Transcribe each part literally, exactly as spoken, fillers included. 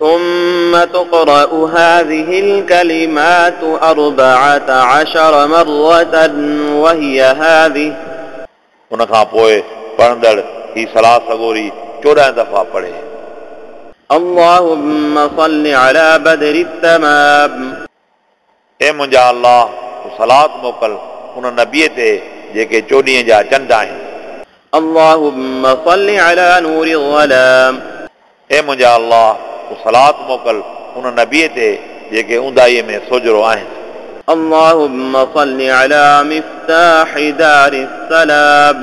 ثم تقرأ هذه الكلمات أربعة عشر مرة وهي هذه. उन खां पोइ पढ़ंदड़ ही सलाह सगोरी चोॾहं दफ़ा पढ़े। اللهم صل على بدر التمام. ए मुंहिंजा अल्लाह, तूं सलात मोकिल उन नबीअ ते जेके चोॾींहं जा चंड आहिनि। اللهم صل على نور الظلام. ए मुंहिंजा अल्लाह, तूं सलात मोकिल उन नबीअ ते जेके ऊंदाईअ में सोजरो आहिनि। اللهم صل على مفتاح دار السلام.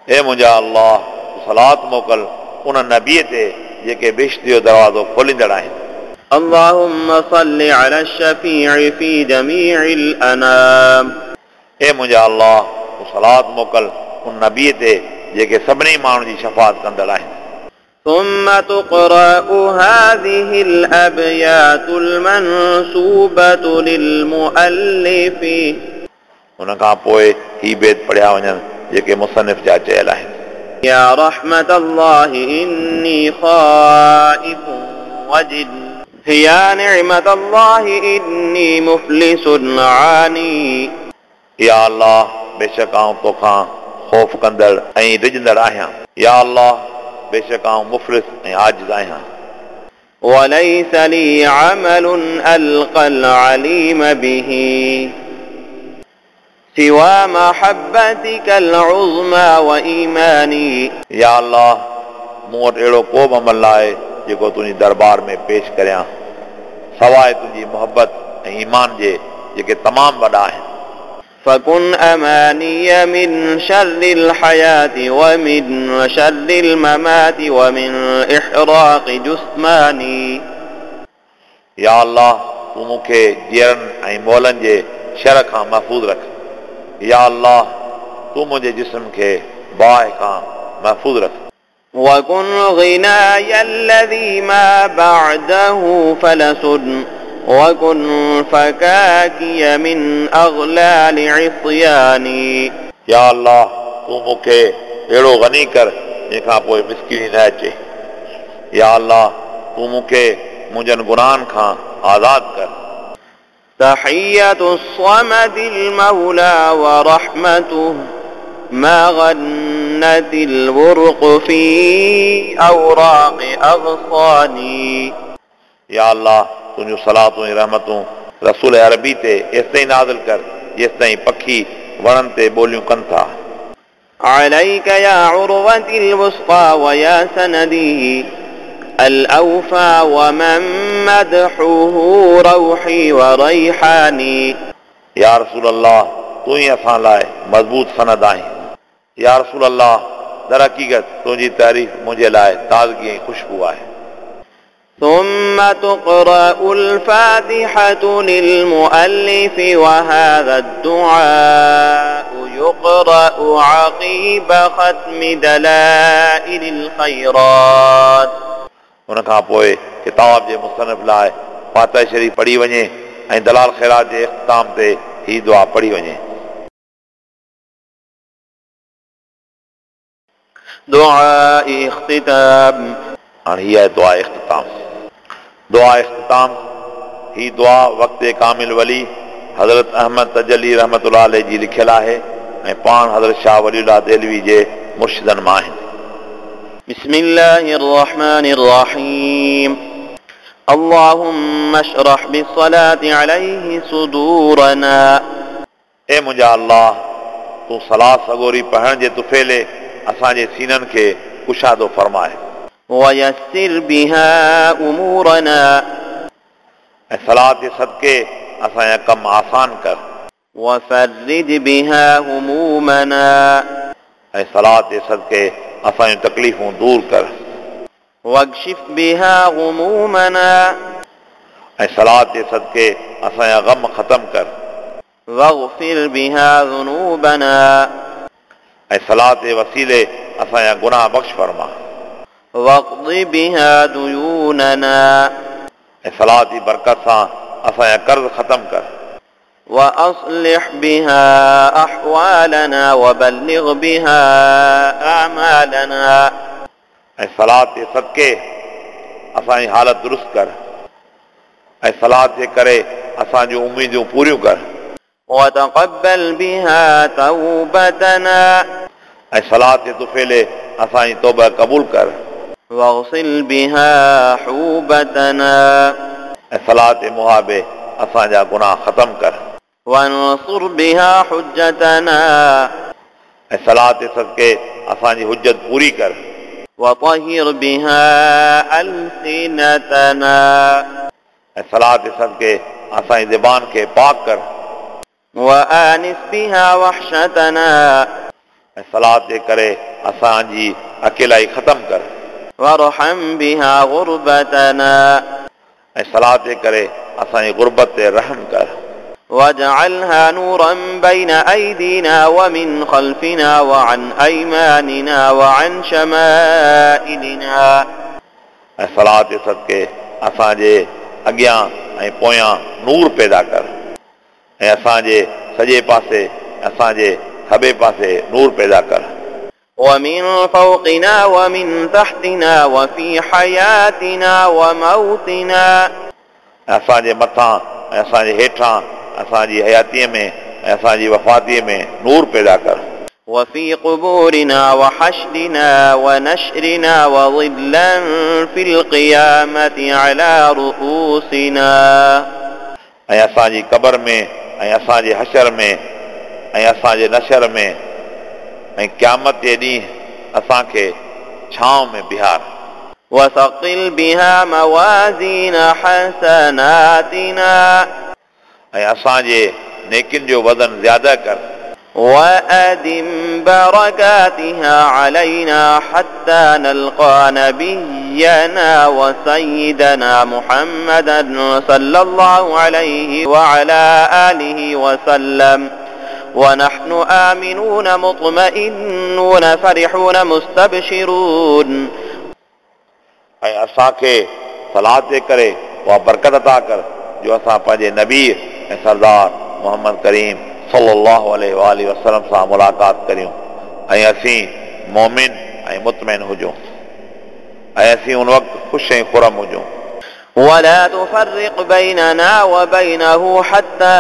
ए मुंहिंजा अल्लाह, तूं सलात मोकिल उन नबीअ ते जेके बिश्त जो दरवाज़ो खोलींदड़ आहिनि। اللهم صل على الشفيع في جميع الأنام. ए मुंहिंजा अल्लाह, तूं सलात मोकिल उन नबीअ ते जेके सभिनी माण्हुनि जी शफ़ात कंदड़ आहिनि। ثم تقرأ هذه الأبيات المنسوبة للمؤلف. उन खां पोइ ही बेत पढ़िया वञनि जेके मुसन्निफ़ जा चयल आहिनि। يا رحمة الله إني خائف وجل. يا نعمة الله إني مفلس عاني. या अल्लाह, बेशक आउं तोखां ख़ौफ़ कंदड़ ऐं डिॼंदड़ आहियां। या अल्लाह, बेशक आउं मुफ़लिस ऐं आजिज़ आहियां। وليس لي عمل ألقى العليم به سوى محبتك العظمى وإيماني. या अल्लाह, मूं वटि अहिड़ो को बि अमल न आहे जेको तुंहिंजी दरबार में पेश करियां, सवाइ तुंहिंजी मोहबत ऐं ईमान जे जेके तमामु वॾा आहिनि। فكن أماني من شر الحياة ومن شر الممات ومن إحراق جثماني. या अल्लाह, तूं मूंखे जीअरनि ऐं मोलनि जे शर खां महफ़ूज़ रख। या अल्लाह, तूं मुंहिंजे जिस्म खे बाहि खां महफ़ूज़ रख। وكن غناي الذي ما بعده فلس وكن فكاكي من أغلال عصياني. या अल्लाह, तूं मूंखे अहिड़ो गनी कर जंहिंखां पोइ मिसकिनी न अचे। या अल्लाह, तूं मूंखे मुंहिंजनि गुनाहनि खां आज़ाद कर। تحية الصمد المولى ورحمته ما غنت البرق في أوراق أغصاني. या अल्लाह, तुंहिंजूं सलातूं ऐं रहमतूं रसूल अरबी ते एसिताईं नाज़िल कर जेसिताईं पखी वणनि ते ॿोलियूं कनि था। عليك يا عروة الوثقى ويا سندي الأوفى ومن مدحه روحي وريحاني. या रसूल अल्लाह, तूं ई असां लाइ मज़बूत सनद आहीं। या रसूल अल्लाह, दर हक़ीक़त तुंहिंजी तारीफ़ मुंहिंजे लाइ ताज़गी ऐं ख़ुशबू आहे। ثم تقرأ الفاتحة للمؤلف وهذا الدعاء يقرأ عقيب ختم دلائل الخيرات. उन खां पोइ किताब जे मुसन्निफ़ लाइ फातिहा शरीफ़ पढ़ी वञे ऐं दलाल ख़ैरात जे इख़्तिताम ते ही दुआ पढ़ी वञे। दुआ इख्तिताम. हाणे हीअ आहे दुआ इख्तिताम। दुआ इख्तिताम ही दुआ वक़्त कामिल वली हज़रत अहमद तजली रहमतुल्लाह अलैह जी लिखियल आहे ऐं पाण हज़रत शाह वलीउल्लाह देलवी जे मुर्शिदनि मां आहिनि। बिस्मिल्लाहिर रहमानिर रहीम. अल्लाहुम्मा अशरह बिस्सलाति अलैहि सुदूरना. ए मुंहिंजा अल्लाह, तूं सलाह सगोरी पढ़ण जे तुफ़ेले असांजे सीननि खे कुशादो फरमाए। वयस्सिर बिहा उमूरना. ऐं सलाह जे सदके असांजा कम आसान कर। वफर्रिज बिहा हुमूमना. ऐं सलाह जे सदके असांजूं तकलीफ़ूं दूर कर। वक्शिफ बिहा गुमूमना. ऐं सलाह जे सदके असांजा ग़म ख़तम कर। वग़फिर बिहा ज़ुनूबना. ऐं सलाह जे वसीले असांजा गुनाह बख़्श फरमा। वक़्ज़ि बिहा दुयूनना. ऐं सलाह जी बरकत सां असांजा कर्ज़ ख़तम कर। वअस्लिह बिहा अहवालना वबल्लिग बिहा आमालना. ऐं सलाह जे सदके असांजी हालत दुरुस्त कर ऐं सलात जे करे असांजूं उम्मीदूं पूरियूं कर। وتقبل بها توبتنا ऐं सलात जे तुफ़ेले असांजी तौबा क़बूल कर। واغسل بها حوبتنا ऐं सलात जे मुहाबे असांजा गुनाह ख़तम कर। وانصر بها حجتنا ऐं सलात जे सदके असांजी हुज्जत पूरी कर। وطهر بها ألسنتنا ऐं सलात जे सदके असांजी ज़बान खे पाक कर। وآنس بها وحشتنا ऐं सलात जे करे असांजी अकेलाई ख़तम कर। وارحم بها غربتنا ऐं सलात जे करे असांजी गुरबत ते रहम कर। واجعلها نورا بين أيدينا ومن خلفنا وعن أيماننا وعن شمائلنا ऐं सलात जे सदके असांजे अॻियां ऐं पोयां नूर पैदा कर ऐं असांजे सॼे पासे असांजे खॿे पासे नूर पैदा कर। ومن فوقنا ومن تحتنا وفي حياتنا وموتنا ऐं असांजे मथां ऐं असांजे हेठां असांजी हयातीअ में ऐं असांजी वफ़ातीअ में नूर पैदा कर। وفي قبورنا وحشرنا ونشرنا وظلا في القيامة على رؤوسنا ऐं असांजी क़बर में ऐं असांजे हशर में ऐं असांजे नशर में ऐं क़यामत जे ॾींहुं असांखे छांव में बिहार। وثقل بها موازين حسناتنا ऐं असांजे नेकियुनि जो वज़न ज़्यादा कर। وأدم بركاتها علينا حتى نلقى نبينا وسيدنا محمدا صلى الله عليه وعلى آله وسلم ونحن آمنون مطمئنون فرحون مستبشرون ऐं असांखे सलात जे करे उहा बरकत अता कर जो असां पंहिंजे नबी ऐं सरदार मोहम्मद करीम सल्लल्लाहु अलैहि वसल्लम सां मुलाक़ात करियूं ऐं असीं मोमिन ऐं मुतमैन हुजूं ऐं असीं उन वक़्तु ख़ुशि ऐं ख़ुरम हुजूं। ولا تفرق بيننا وبينه حتى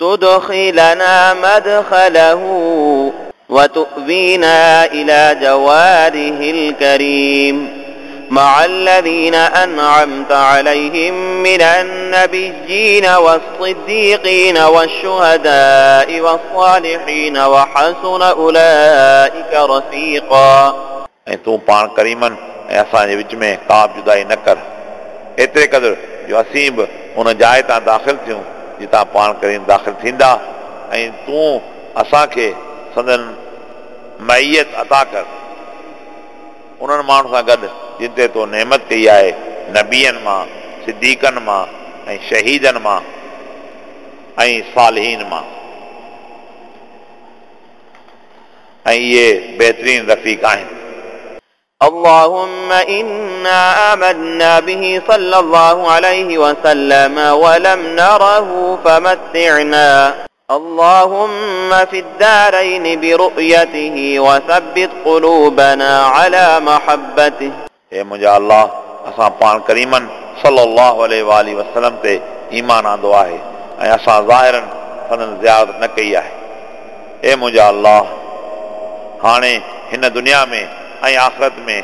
تدخلنا مدخله وتؤوينا إلى جواره الكريم مع الذين أنعمت عليهم من النبيين والصديقين والشهداء والصالحين وحسن أولئك رفيقا ऐं तूं पाण करीमनि ऐं असांजे विच में का बि जुदाई न कर एतिरे क़दुरु जो असीं बि उन जाइ तां दाख़िल थियूं जितां पाण करीम दाख़िल थींदा ऐं तूं असांखे संदन मैयत अता कर उन्हनि माण्हुनि सां गॾु जिन ते तो नेमत कई आहे नबियनि मां सिद्दीक़नि मां ऐं शहीदनि मां ऐं सालिहीन मां ऐं इहे बहितरीन रफ़ीक़ आहिनि। اللهم إنا آمنا به صلى الله عليه وسلم ولم نره فمتعنا اللهم في الدارين برؤيته وثبت قلوبنا على محبته हे मुंहिंजा अल्लाह असां पाण करीमनि सल्लल्लाहु अलैहि वसल्लम ते ईमान आंदो आहे ऐं असां ज़ाहिरनि संदन ज़ियारत न कई आहे। हे मुंहिंजा अल्लाह हाणे हिन दुनिया में ऐं आख़िरत में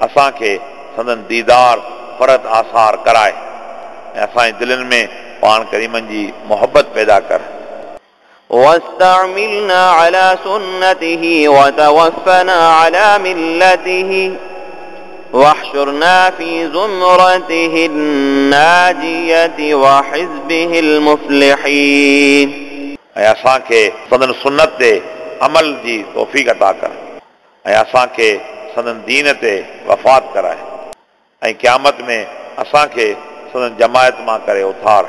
असांखे संदन दीदार फरत आसार कराए ऐं असांजी दिलनि में पाण करीमनि जी मोहबत पैदा कर। واستعملنا على سنته وتوفنا على ملته واحشرنا في زمرته الناجية وحزبه المفلحين ऐं असांखे संदन सुन्नत ते अमल जी तौफ़ीक़ अता कर ऐं असांखे संदन दीन ते वफ़ात कराए ऐं क़यामत में असांखे संदन जमायत मां करे उथार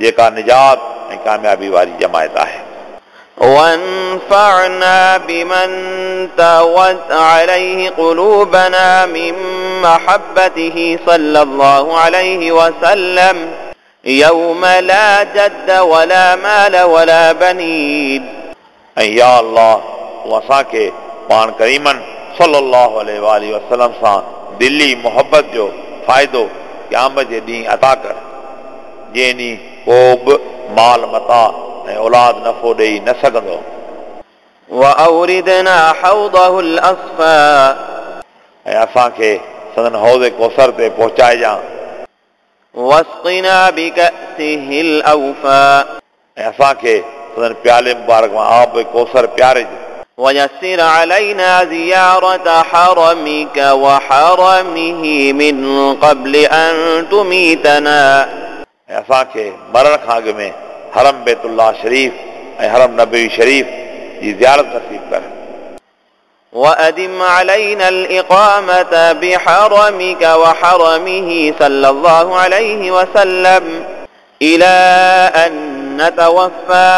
जेका निजात ऐं कामयाबी वारी जमायत आहे। وانفعنا بمن توت عليه قلوبنا من محبته صلى الله عليه وسلم يوم لا جد ولا مال ولا بنين ऐं या अल्लाह तूं असांखे पाण करीमनि सल्लल्लाहु अलैहि वसल्लम सां दिली मोहबत जो फ़ाइदो क़यामत जे ॾींहुं अता कर, जंहिं ॾींहुं को बि माल मता ऐं औलाद नफ़ो ॾेई न सघंदो। وأوردنا حوضه الأصفى ऐं असांखे संदन हौज़ कौसर ते पहुचाइजां। واسقنا بكأسه الأوفى ऐं असांखे संदन प्याले मुबारक मां आब कौसर प्यारिज। ويسر علينا زيارة حرمك وحرمه من قبل أن تميتنا ऐं असांखे मरण खां अॻु में हरम बैतुल्लाह शरीफ ऐं हरम नबी शरीफ जी ज़ियारत नसीब कर। وأدم علينا الإقامة بحرمك وحرمه صلى الله عليه وسلم إلى أن نتوفى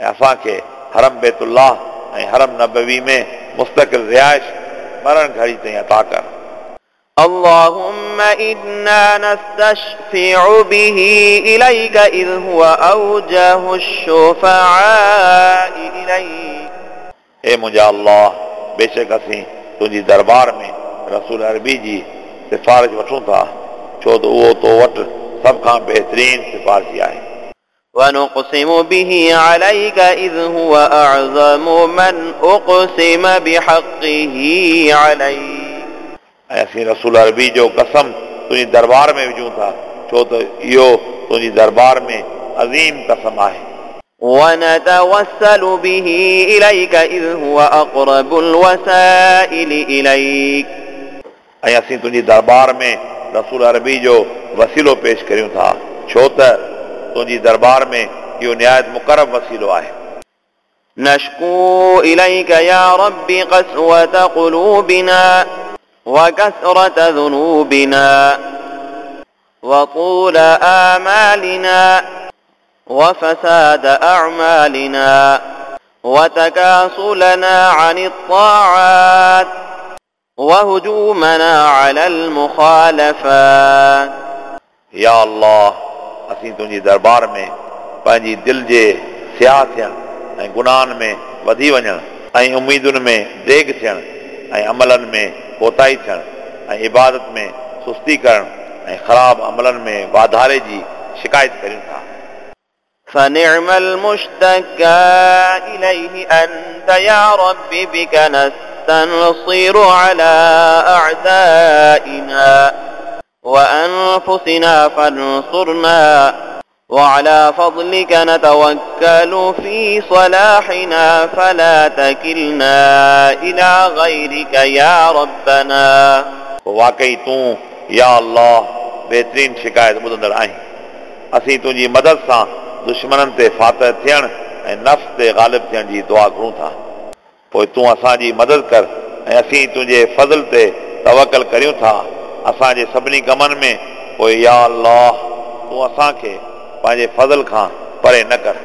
ऐं असांखे हरम बैतुल्लाह ऐं हरम नबवी में मुस्तकिल रिहाइश मरण घड़ी ताईं अता कर। اللهم إنا نستشفع به إليك إذ هو أوجه الشفعاء إليك ए मुंहिंजा अल्लाह, बेशक असीं तुंहिंजी दरबार में रसूल अरबी जी सिफारिश वठूं था, छो त उहो तो वटि सभ खां बहितरीन सिफारिशी आहे। ونقسم به عليك إذ هو أعظم من أقسم بحقه عليك ऐं असीं रसूल अरबी जो कसम तुंहिंजी दरबार में विझूं था, छो त इहो तुंहिंजी दरबार में अज़ीम कसम आहे। ونتوسل به إليك إذ هو أقرب الوسائل إليك ऐं असीं तुंहिंजी दरबार में रसूल अरबी जो वसीलो पेश करियूं था, छो त तुंहिंजी दरबार में इहो निहायत मुक़रब वसीलो आहे। نشكو إليك يا رب قسوة قلوبنا وكثرة ذنوبنا وطول آمالنا وفساد أعمالنا وتكاسلنا عن الطاعات وهجومنا على المخالفات या अल्लाह, असीं तुंहिंजी दरबार में पंहिंजी दिलि जे सियाह थियण ऐं गुनाहनि में वधी वञण ऐं उमेदुनि में देग थियण ऐं अमलनि में कोताही थियण ऐं इबादत में सुस्ती करण ऐं ख़राब अमलनि में वाधारे जी शिकायत करियूं था। فنعم المشتكى إليه أنت يا رب بك نستنصر على أعدائنا وأنفسنا فانصرنا وعلى فضلك نتوكل في صلاحنا فلا تكلنا إلى غيرك يا ربنا। वाकई तूं या अल्लाह बेहतरीन शिकायत ॿुधंदड़ आहीं। असीं तुंहिंजी मदद सां दुश्मननि ते फातह थियण ऐं नफ़्स ते ग़ालिब थियण जी दुआ घुरूं था। पोइ तूं असांजी मदद कर ऐं असीं तुंहिंजे फज़ल ते तवकल करियूं था असांजे सभिनी कमनि में। पोइ या अल्लाह, तूं असांखे पंहिंजे फज़ल खां परे न कर।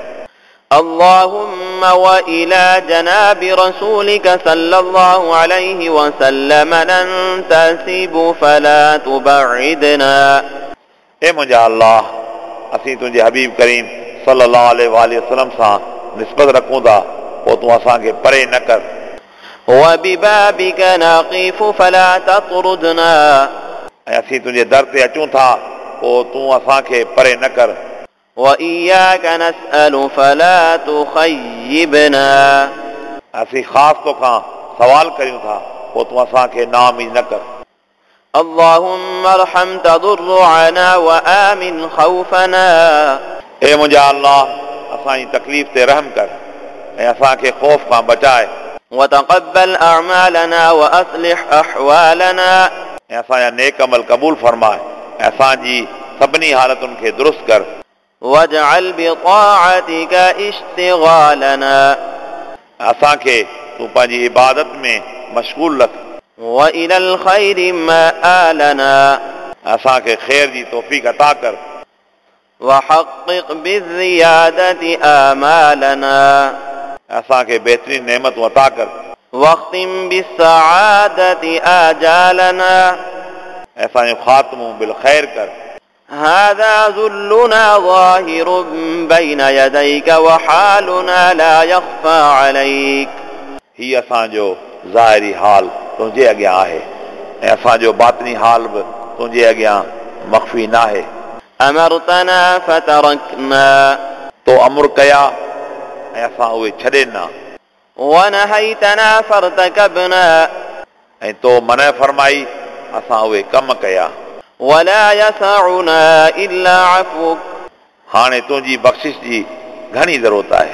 اللهم وإلى جناب رسولك صلى الله عليه وسلم ننتسب فلا تبعدنا। ए मुंहिंजा अल्लाह, असीं तुंहिंजे हबीब करीम सल्लल्लाहु अलैहि वसल्लम सां निस्बत रखूं था, पोइ तूं असांखे परे न कर। وببابك نقف فلا تطردنا। ऐं असीं तुंहिंजे दर ते अचूं था, पोइ तूं असांखे परे न कर। وإياك نسأل فلا تخيبنا। असीं ख़ासि तोखां सवाल करियूं था, पोइ तूं असांखे नाउमीद न कर। اللهم ارحم تضرعنا وآمن خوفنا। ए मुंहिंजा अल्लाह, असांजी तकलीफ़ ते रहम कर ऐं असांखे ख़ौफ़ खां बचाए। وتقبل أعمالنا وأصلح أحوالنا। ऐं असांजा नेक अमल क़बूल फरमाए ऐं असांजी सभिनी हालतुनि खे दुरुस्त कर। واجعل بطاعتك اشتغالنا। असांखे तूं पंहिंजी इबादत में मशगूल रख। وإلى الخير مآلنا। असांखे ख़ैर जी तौफ़ीक़ अता कर। وحقق بالزيادة آمالنا। असांखे बहितरीन नेमतूं अता कर। واختم بالسعادة آجالنا। असांजो ख़ातिमो बिल ख़ैर कर। هذا ذلنا ظاهر بين يديك وحالنا لا يخفى عليك। ही असांजो ज़ाहिरी हाल तुंहिंजे अॻियां आहे ऐं असांजो बातिनी हाल बि तुंहिंजे अॻियां मख़फ़ी नाहे। أمرتنا فتركنا तो अमुर कया ऐं असां उहे छॾे ॾिना। ونهيتنا فارتكبنا ऐं तो मना फरमाई असां उहे कम कया। ولا يسعنا إلا عفوك हाणे तुंहिंजी बख़्शिश जी घणी ज़रूरत आहे।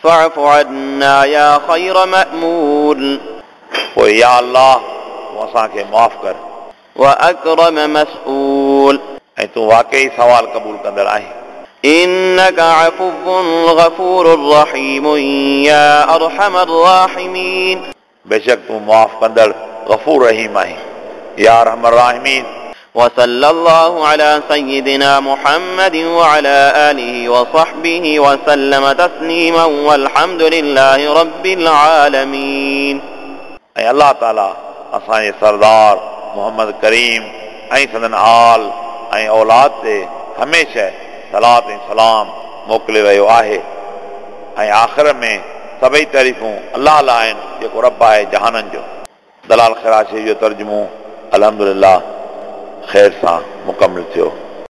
فاعف عنا يا خير مأمول पोइ या अल्लाह तूं असांखे माफ़ कर। وأكرم مسؤول ऐं तूं वाकई सवाल क़बूल कंदड़ आहीं। إنك عفو غفور رحيم يا أرحم الراحمين बेशक तूं माफ़ कंदड़ गफ़ूर रहीम आहीं या अरहम अर्राहिमीन। وصلى الله على سيدنا محمد وعلى آله وصحبه وسلم تسليما والحمد لله رب العالمين। ऐं अल्लाह ताला असांजे सरदार मोहम्मद करीम ऐं संदन आल ऐं औलाद ते हमेशह सलात ऐं सलाम मोकिले रहियो आहे। ऐं आख़िर में सभई तारीफ़ूं अल्लाह लाइ आहिनि जेको रब आहे जहाननि जो। दलाल ख़ैरात शरीफ़ जो तर्जुमो अल्हम्दुलिल्लाह ख़ैर सां मुकमिल थियो।